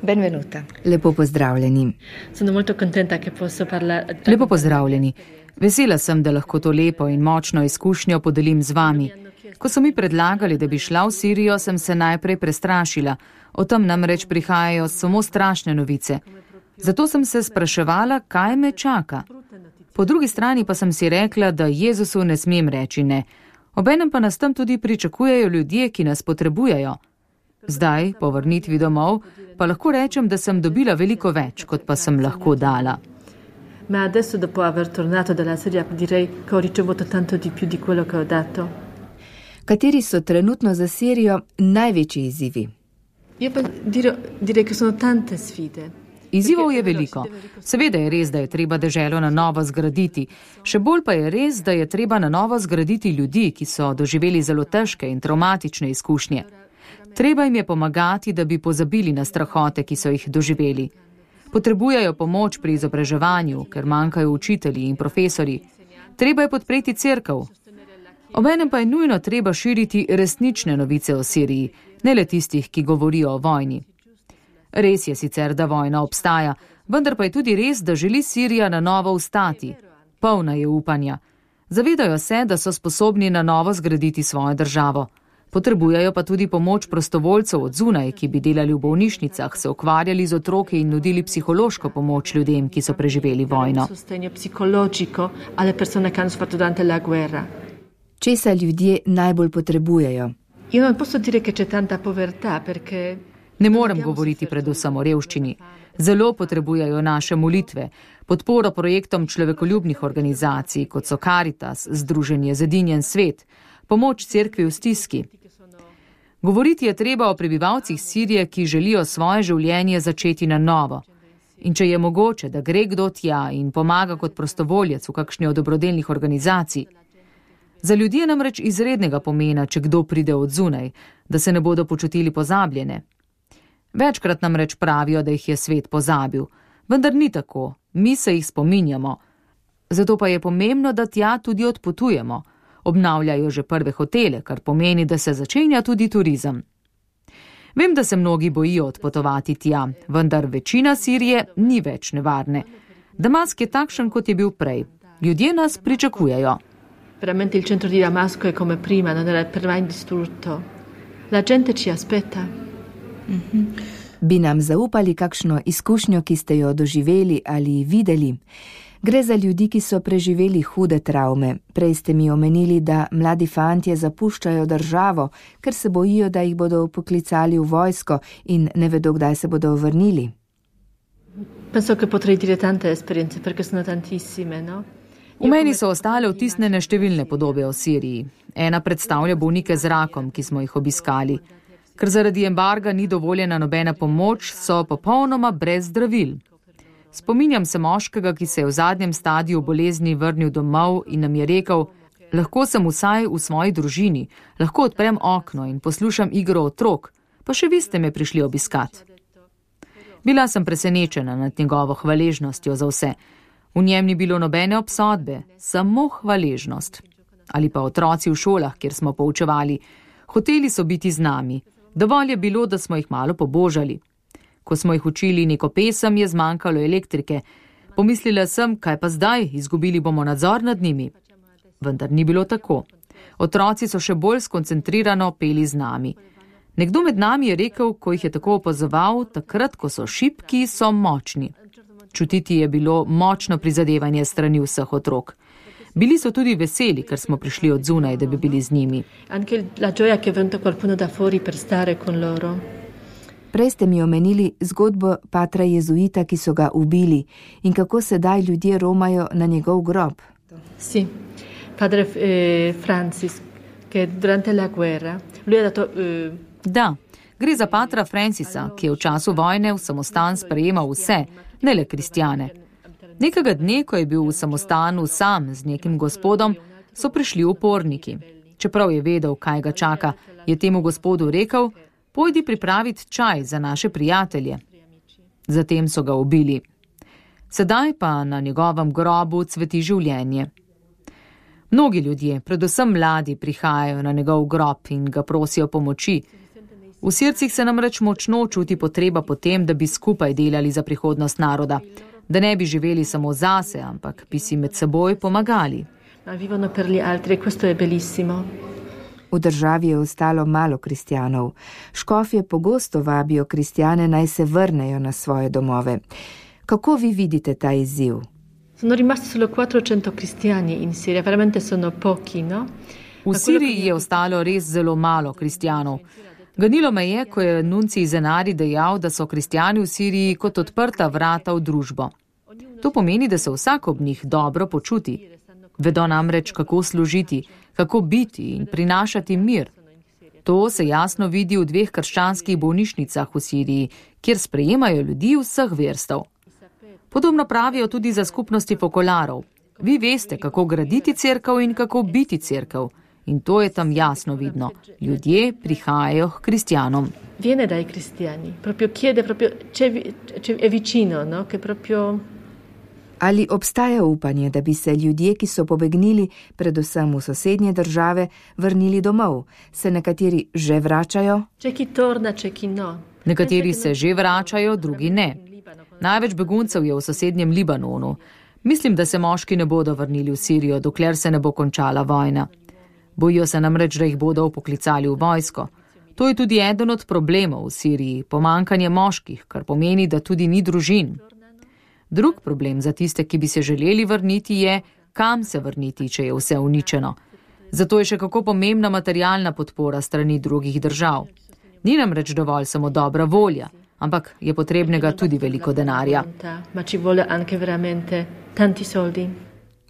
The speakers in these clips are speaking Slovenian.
Benvenuta. Lepo pozdravljeni. Sono molto contenta che posso parlare. Lepo pozdravljeni. Vesela sem, da lahko to lepo in močno izkušnjo podelim z vami. Ko so mi predlagali, da bi šla v Sirijo, sem se najprej prestrašila. O tem namreč prihajajo samo strašne novice. Zato sem se spraševala, kaj me čaka. Po drugi strani pa sem si rekla, da Jezusu ne smem reči ne. Obenem pa nas tam tudi pričakujejo ljudje, ki nas potrebujejo. Zdaj, po vrnitvi domov, pa lahko rečem, da sem dobila veliko več, kot pa sem lahko dala. Ma adesso dopo aver tornato dalla Siria direi che ho ricevuto tanto di più di quello che ho dato. Kateri so trenutno za Sirijo največji izzivi? Io direi che sono tante sfide. Izzivov je veliko. Seveda je res, da je treba deželo na novo zgraditi. Še bolj pa je res, da je treba na novo zgraditi ljudi, ki so doživeli zelo težke in travmatične izkušnje. Treba jim je pomagati, da bi pozabili na strahote, ki so jih doživeli. Potrebujejo pomoč pri izobraževanju, ker manjkajo učitelji in profesorji. Treba je podpreti cerkev. Obenem pa je nujno treba širiti resnične novice o Siriji, ne le tistih, ki govorijo o vojni. Res je sicer, da vojna obstaja, vendar pa je tudi res, da želi Sirija na novo vstati. Polna je upanja. Zavedajo se, da so sposobni na novo zgraditi svojo državo. Potrebujejo pa tudi pomoč prostovoljcev od zunaj, ki bi delali v bolnišnicah, se ukvarjali z otroki in nudili psihološko pomoč ljudem, ki so preživeli vojno. Česa ljudje najbolj potrebujejo? Ne morem govoriti predvsem o revščini. Zelo potrebujejo naše molitve, podporo projektom človekoljubnih organizacij, kot so Caritas, Združenje Zedinjen svet, pomoč cerkvi v stiski. Govoriti je treba o prebivalcih Sirije, ki želijo svoje življenje začeti na novo. In če je mogoče, da gre kdo tja in pomaga kot prostovoljec v kakšni od dobrodelnih organizacij. Za ljudi je namreč izrednega pomena, če kdo pride od zunaj, da se ne bodo počutili pozabljene. Večkrat namreč pravijo, da jih je svet pozabil, vendar ni tako, mi se jih spominjamo. Zato pa je pomembno, da tja tudi odpotujemo. Obnavljajo že prve hotele, kar pomeni, da se začenja tudi turizem. Vem, da se mnogi bojijo odpotovati tja, vendar večina Sirije ni več nevarne. Damask je takšen, kot je bil prej. Ljudje nas pričakujejo. Veramente il centro di Damasco è come prima, non era per mai distrutto. La gente ci aspetta. Bi nam zaupali kakšno izkušnjo, ki ste jo doživeli ali videli? Gre za ljudi, ki so preživeli hude travme. Prej ste mi omenili, da mladi fantje zapuščajo državo, ker se bojijo, da jih bodo poklicali v vojsko in ne vedo, kdaj se bodo vrnili. Penso che potrei dire tante esperienze, perché sono tantissime, no? V meni so ostale vtisnjene številne podobe o Siriji. Ena predstavlja bolnike z rakom, ki smo jih obiskali. Ker zaradi embarga ni dovoljena nobena pomoč, so popolnoma brez zdravil. Spominjam se moškega, ki se je v zadnjem stadiju bolezni vrnil domov in nam je rekel, lahko sem vsaj v svoji družini, lahko odprem okno in poslušam igro otrok, pa še vi ste me prišli obiskat. Bila sem presenečena nad njegovo hvaležnostjo za vse. V njem ni bilo nobene obsodbe, samo hvaležnost. Ali pa otroci v šolah, kjer smo poučevali. Hoteli so biti z nami. Dovolj je bilo, da smo jih malo pobožali. Ko smo jih učili neko pesem, je zmanjkalo elektrike. Pomislila sem, kaj pa zdaj, izgubili bomo nadzor nad njimi. Vendar ni bilo tako. Otroci so še bolj skoncentrirano peli z nami. Nekdo med nami je rekel, ko jih je tako opazoval, takrat, ko so šibki, so močni. Čutiti je bilo močno prizadevanje strani vseh otrok. Bili so tudi veseli, ker smo prišli od zunaj, da bi bili z njimi. Prej ste mi omenili zgodbo patra jezuita, ki so ga ubili in kako sedaj ljudje romajo na njegov grob. Sì, padre Francis, che durante la guerra, lui ha dato... Da, gre za patra Francisa, ki je v času vojne v samostan sprejemal vse, ne le kristjane. Nekega dne, ko je bil v samostanu sam z nekim gospodom, so prišli uporniki. Čeprav je vedel, kaj ga čaka, je temu gospodu rekel, pojdi pripraviti čaj za naše prijatelje. Zatem so ga ubili. Sedaj pa na njegovem grobu cveti življenje. Mnogi ljudje, predvsem mladi, prihajajo na njegov grob in ga prosijo pomoči. V srcih se namreč močno čuti potreba po tem, da bi skupaj delali za prihodnost naroda, da ne bi živeli samo zase, ampak bi si med seboj pomagali. Vivono per gli altri, questo è bellissimo. V državi je ostalo malo kristjanov. Škofje pogosto vabijo kristjane, naj se vrnejo na svoje domove. Kako vi vidite ta izziv? Sono rimasti solo 400 cristiani in Siria, veramente sono pochi, no? V Siriji je ostalo res zelo malo kristjanov. Ganilo me je, ko je nuncij Zenari dejal, da so kristjani v Siriji kot odprta vrata v družbo. To pomeni, da se vsak ob njih dobro počuti. Vedo namreč, kako služiti, kako biti in prinašati mir. To se jasno vidi v 2 krščanskih bolnišnicah v Siriji, kjer sprejemajo ljudi vseh verstev. Podobno pravijo tudi za skupnosti fokolarov. Vi veste, kako graditi cerkev in kako biti cerkev. In to je tam jasno vidno. Ljudje prihajajo k kristjanom. Viene dai cristiani, proprio chiede, è vicino, no? Che proprio... Ali obstaja upanje, da bi se ljudje, ki so pobegnili, predvsem v sosednje države, vrnili domov? Se nekateri že vračajo? C'è chi torna, c'è chi no. Nekateri se že vračajo, drugi ne. Največ beguncev je v sosednjem Libanonu. Mislim, da se moški ne bodo vrnili v Sirijo, dokler se ne bo končala vojna. Bojijo se namreč, da jih bodo vpoklicali v vojsko. To je tudi eden od problemov v Siriji, pomanjkanje moških, kar pomeni, da tudi ni družin. Drug problem za tiste, ki bi se želeli vrniti, je, kam se vrniti, če je vse uničeno. Zato je še kako pomembna materialna podpora strani drugih držav. Ni namreč dovolj samo dobra volja, ampak je potrebnega tudi veliko denarja.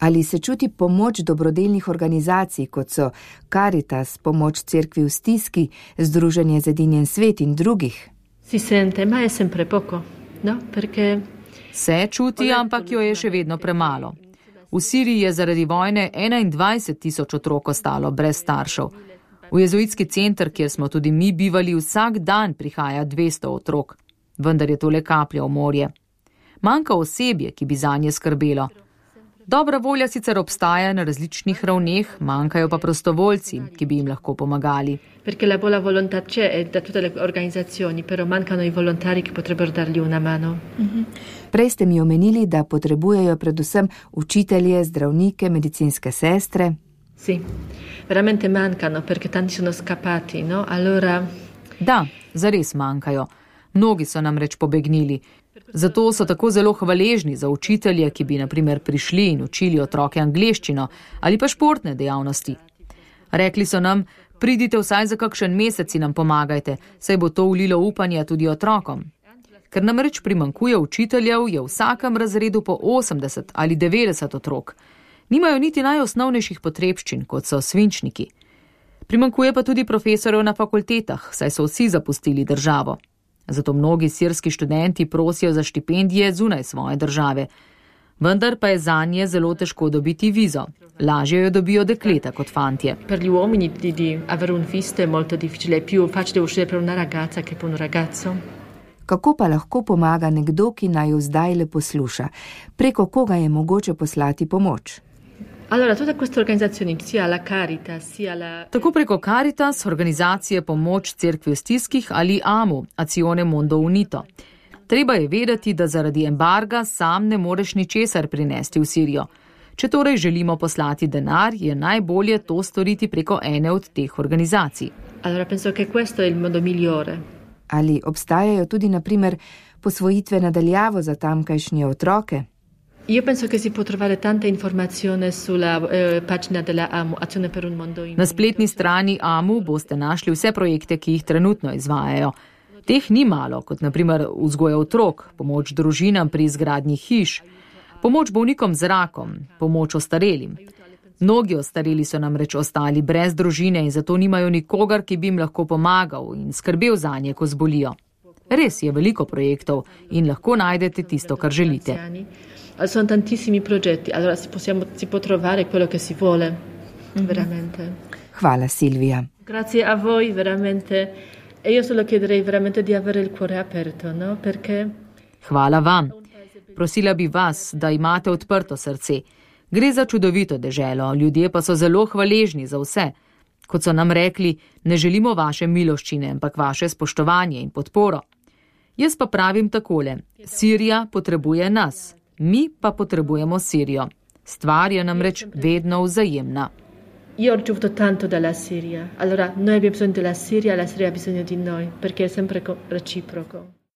Ali se čuti pomoč dobrodelnih organizacij, kot so Caritas, pomoč cerkvi v stiski, Združenje Zedinjen svet in drugih? Si sente, ma je sempre poco, no? Perché... Se čuti, ampak jo je še vedno premalo. V Siriji je zaradi vojne 21,000 otrok ostalo brez staršev. V jezuitski center, kjer smo tudi mi bivali, vsak dan prihaja 200 otrok. Vendar je to le kaplja v morje. Manjka osebje, ki bi zanje skrbelo. Dobra volja sicer obstaja na različnih ravneh, manjkajo pa prostovoljci, ki bi jim lahko pomagali. Perché la buona volontà c'è da tutte le organizzazioni, però mancano i volontari che potrebbero dargli una mano. Prej ste mi omenili, da potrebujejo predvsem učitelje, zdravnike, medicinske sestre. Sì, veramente mancano, perché tanti sono scappati, no? Allora... Da, zares manjkajo. Mnogi so namreč pobegnili. Zato so tako zelo hvaležni za učitelje, ki bi na primer prišli in učili otroke angleščino ali pa športne dejavnosti. Rekli so nam, pridite vsaj za kakšen mesec in nam pomagajte, saj bo to vlilo upanje tudi otrokom. Ker namreč primanjkuje učiteljev, je v vsakem razredu po 80 ali 90 otrok. Nimajo niti najosnovnejših potrebščin, kot so svinčniki. Primanjkuje pa tudi profesorjev na fakultetah, saj so vsi zapustili državo. Zato mnogi sirski študenti prosijo za štipendije zunaj svoje države. Vendar pa je zanje zelo težko dobiti vizo. Lažje jo dobijo dekleta kot fantje. Per gli uomini di avere un visto è molto difficile, è più facile uscire per una ragazza che per un ragazzo. Kako pa lahko pomaga nekdo, ki naj jo zdaj le posluša? Preko koga je mogoče poslati pomoč? Allora, tutte queste organizzazioni, sia la Caritas, sia la... Tako preko Caritas, organizacije Pomoč cerkvi v stiskih ali AMU, Azione Mondo Unito. Treba je vedeti, da zaradi embarga sam ne moreš ničesar prinesti v Sirijo. Če torej želimo poslati denar, je najbolje to storiti preko ene od teh organizacij. Allora, penso che questo è il modo migliore. Ali obstajajo tudi, na primer, posvojitve nadaljavo za tamkajšnje otroke? Io penso che si può trovare tanta informazione sulla pagina della AMU, Azione per un Mondo Unito. Na spletni strani AMU boste našli vse projekte, ki jih trenutno izvajajo. Teh ni malo, kot na primer vzgoja otrok, pomoč družinam pri izgradnji hiš, pomoč bolnikom z rakom, pomoč ostarelim. Mnogi ostareli so namreč ostali brez družine in zato nimajo nikogar, ki bi jim lahko pomagal in skrbel zanje, ko zbolijo. Res je veliko projektov in lahko najdete tisto, kar želite. Sono tantissimi progetti, allora si può trovare quello che si vuole, veramente. Hvala, Silvia. Grazie a voi, veramente. E io solo chiederei veramente di avere il cuore aperto, no? Perché... Hvala vam. Prosila bi vas, da imate odprto srce. Gre za čudovito deželo, ljudje pa so zelo hvaležni za vse. Kot so nam rekli, ne želimo vaše miloščine, ampak vaše spoštovanje in podporo. Jaz pa pravim takole, Sirija potrebuje nas, mi pa potrebujemo Sirijo. Stvar je namreč vedno vzajemna. Io ho ricevuto tanto dalla Siria, allora noi abbiamo bisogno della Siria ha bisogno di noi, perché è sempre reciproco.